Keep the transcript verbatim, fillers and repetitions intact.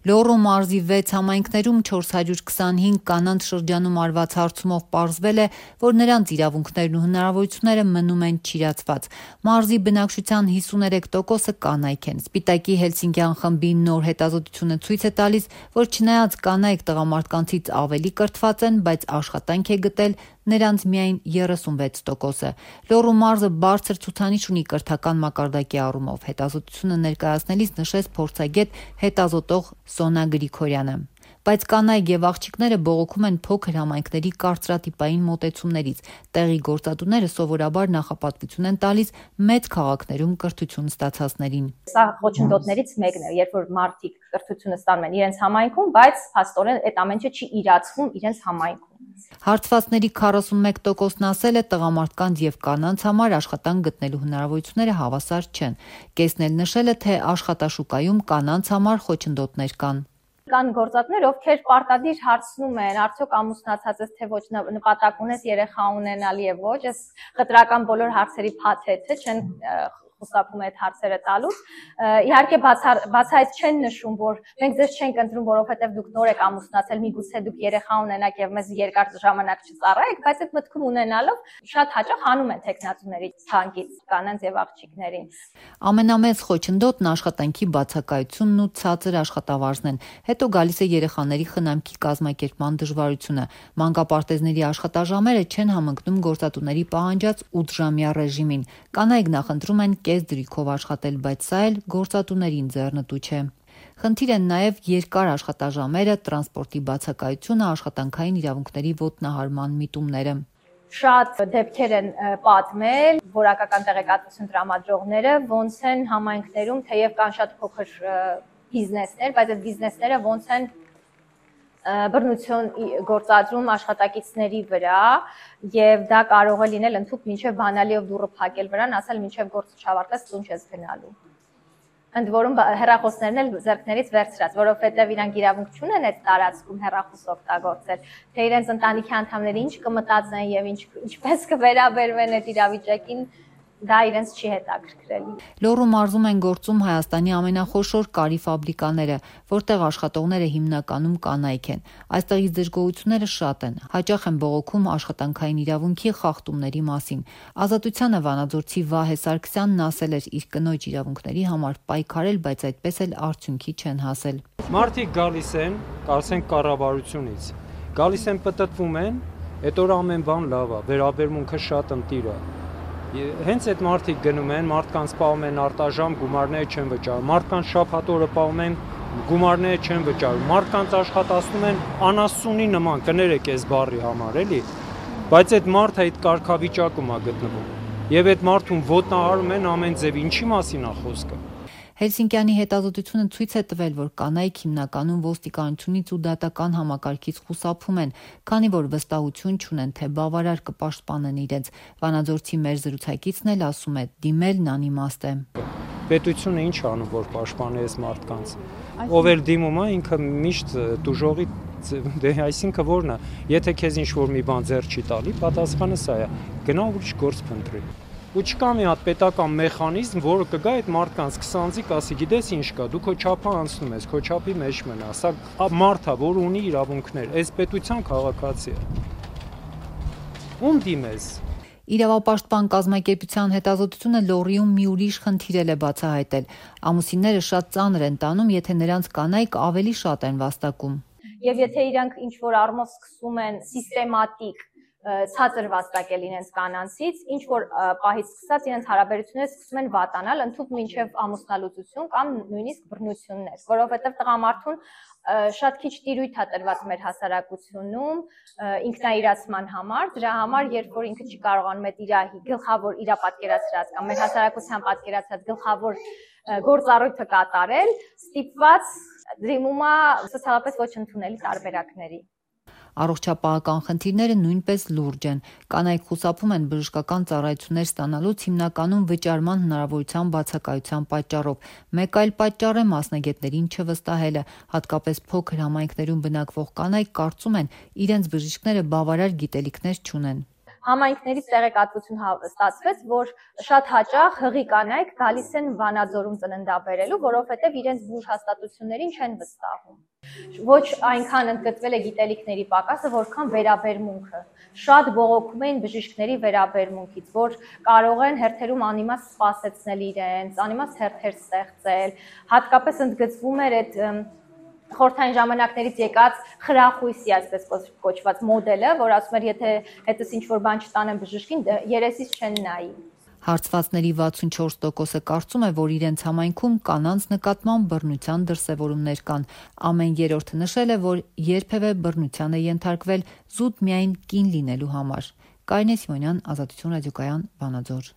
Լոռու մարզի վեց համայնքներում չորս հարյուր քսանհինգ կանանց շրջանում արված հարցումով պարզվել է, որ նրանց իրավունքներն ու հնարավորությունները մնում են չիրացված։ Մարզի բնակչության հիսուներեք տոկոսը կանայք են։ Սպիտակի Հելսինկյան խմբի նոր հետազոտությունը ցույց է տալիս, որ չնայած կանայք տղամարդկանցից ավելի կրթված են, բայց աշխատանք է գտել նրանց միայն երեսունվեց տոկոսը։ Լոռու մարզը բարձր ցուցանիշ ունի կրթական մակարդակի առումով, հետազոտությունը ներկայացնելիս նշեց փորձագետ հետազոտող Սոնա Գրիգորյանը։ Բայց կանայք եւ աղջիկները բողոքում են փոքր համայնքների կարծրատիպային մոտեցումներից։ Տեղի գործատուները սովորաբար նախապատվություն են տալիս մեծ քաղաքներում կրթություն ստացածներին։ Սա խոչընդոտներից մեկն է, երբ որ մարդիկ կրթությունը ստանում են իրենց համայնքում, բայց փաստորեն այդ ամեն ինչը չի իրացվում իրենց համայնքում։ Հարցվածների քառասունմեկ տոկոսն ասել է տղամարդկանց եւ կանանց համար աշխատանք գտնելու հնարավորությունները հավասար չեն։ Կեսն էլ նշել է, թե աշխատաշուկայում կանանց համար խոչընդոտներ կան։ Կան գործատներ, ովքեր պարտադիր հարցնում են, արդյոք ամուսնացած ես, թե ոչ, նպատակ ունես երեխա ունենալ եւ ոչ, այս խտրական բոլոր հարցերի փաթեթը չեն խուսափում այդ հարցերը տալուց։ Իհարկե բացահայտ չեն նշում, որ մենք ձեզ չենք ընտրում, որովհետև դուք նոր եք ամուսնացել, միգուցե դուք երեխա ունենաք եւ մեզ երկար ժամանակ չծառայեք, բայց այդ մտքում ունենալով շատ հաճախ հանում են տեխնացուների ցանկից կանանց եւ աղջիկներին։ Ամենամեծ խոչընդոտն աշխատանքի բացակայությունն ու ցածր աշխատավարձն են։ Հետո գալիս է երեխաների խնամքի կազմակերպման դժվարությունը։ Մանկապարտեզների աշխատաժամերը չեն համընկնում գործատուների պահանջած ութժամյա ռեժիմին։ Կանայք նախընտրում են կես դրիքով աշխատել, բայց սա էլ գործատուներին ձեռնտու չէ։ Խնդիր են նաև երկար աշխատաժամերը, տրանսպորտի բացակայությունը, աշխատանքային իրավունքների ոտնահարման միտումները։ Շատ դեպքեր են պատմել որակական տեղեկատվություն տրամադրողները, ոնց են համայնքներում, թեև կան շատ փոքր բիզնեսներ, բայց այդ բիզնեսները ոնց են բռնություն գործադրում աշխատակիցների վրա եւ դա կարող է լինել ընդհանուր մինչեւ բանալիով դուռը փակել վրան, ասել մինչեւ գործը չավարտես տուն չես գնալու։ Ընդ որում հեռախոսներն էլ ձեռքներից վերցրած, որովհետեւ իրանք իրավունք չունեն այդ տարածքում հեռախոս օգտագործել, թե իրենց ընտանիքի անդամները ինչ կմտածեն եւ ինչ ինչպես կվերաբերվեն այդ իրավիճակին, դա իրենց չի հետաքրքրել։ Լոռու մարզում են գործում Հայաստանի ամենախոշոր կարի ֆաբրիկաները, որտեղ աշխատողները հիմնականում կանայք են։ Այստեղից դժգոհությունները շատ են։ Հաճախ են բողոքում աշխատանքային իրավունքի խախտումների մասին։ Ազատությանը Վանաձորցի Վահե Սարգսյանն ասել էր իր կնոջ իրավունքների համար պայքարել, բայց այդպես էլ արդյունքի չեն հասել։ Մարդիկ գալիս են, կարծենք կառավարությունից, գալիս են պտտվում են, այդ օր ամեն բան լավ է, վերաբերմունքը շատ ընտիր է։ Հենց այդ մարդիկ գնում են, մարդկանց պահում են արտաժամ, գումարները չեն վճարում, մարդկանց շաբաթ օրը պահում են, գումարները չեն վճարում, մարդկանց աշխատացնում են անասունի նման, կներեք այս բառի համար, էլի, բայց այդ մարդը այդ կարգավիճակում է գտնվում, եւ այդ մարդուն ոտնահարում են ամեն ձև, ինչի մասին է խոսքը։ Հելսինկյանի հետազոտությունը ցույց է տվել, որ կանայք հիմնականում ոստիկանությունից ու դատական համակարգից խուսափում են, քանի որ վստահություն չունեն, թե բավարար կպաշտպանեն իրենց։ Վանաձորցի մեր զրուցակիցն էլ ասում է, դիմելն անիմաստ է։ Պետությունը ինչ անում, որ պաշտպանի այս մարդկանց։ Ով էլ դիմում է, ինքը միշտ դուժողի դե այսինքն որն է, եթե քեզ ինչ-որ մի բան ձեռ չի տալի, պատասխանը սա է։ Գնա ուրիշ գործ փնտրի։ Ու չկա մի հատ պետական մեխանիզմ, որը կգա այդ մարդկանց քսանձիկ ասի, գիտես ինչ կա, դու քո չափը անցնում ես, քո չափի մեջ մնա, սա մարդ է, որ ունի իրավունքներ, այս պետության քաղաքացի է։ Ում դիմես։ Իրավապաշտպան կազմակերպության հետազոտությունը Լոռիում մի ուրիշ խնդիր է բացահայտել։ Ամուսինները շատ ծանր են տանում, եթե նրանց կանայք ավելի շատ են վաստակում։ Եվ եթե իրանք ինչ-որ առումով սկսում են սիստեմատիկ ցածր վաստակել իրենց կանանցից, ինչ որ պահից սկսած իրենց հարաբերությունները սկսում են վատանալ, ընդհանուր մինչև ամուսնալուծություն կամ նույնիսկ բռնություններ, որովհետև տղամարդուն շատ քիչ տիրույթ է տրված մեր հասարակությունում ինքնաիրացման համար, դրա համար, երբ որ ինքը չի կարողանում այդ իր գլխավոր իր պատկերացրած կամ մեր հասարակության պատկերացրած գլխավոր գործառույթը կատարել, ստիպված դիմում է սոցիալապես ոչ ընդունելի տարբերակների։ Առողջապահական խնդիրները նույնպես լուրջ են։ Կանայք խուսափում են բժշկական ծառայություններ ստանալուց հիմնականում վճարման հնարավորության բացակայության պատճառով։ Մեկ այլ պատճառ է մասնագետներին չվստահելը, հատկապես փոքր համայնքներում բնակվող կանայք կարծում են, իրենց բժիշկները բավարար գիտելիքներ չունեն։ Համայնքներից տեղեկատվություն ստացվեց, որ շատ հաճախ հղի կանայք գալիս են Վանաձորում ծննդաբերելու, որովհետև իրենց բուժ հաստատություններին չեն վստահում։ Ոչ այնքան ընդգծվել է գիտելիքների պակասը, որքան վերաբերմունքը։ Շատ բողոքում էին բժիշկների վերաբերմունքից, որ կարող են հերթերում անիմաստ սպասեցնել իրենց, անիմաստ հերթեր ստեղծել, հատկապես ընդգծվում էր այդ խորհրդային ժամանակներից եկած խրախույսի, այսպես կոչված մոդելը, որ ասում էր, եթե հետս ինչ-որ բան չտանեմ բժշկին, երեսից չեն նայի։ Հարցվածների վաթսունչորս տոկոսը կարծում է, որ իրենց համայնքում կանանց նկատմամբ բռնության դրսևորումներ կան։ Ամեն երրորդը նշել է, որ երբևէ բռնության է ենթարկվել զուտ միայն կին լինելու համար։ Կարինե Սիմոնյան, Ազատություն ռադիոկայան, Վանաձոր։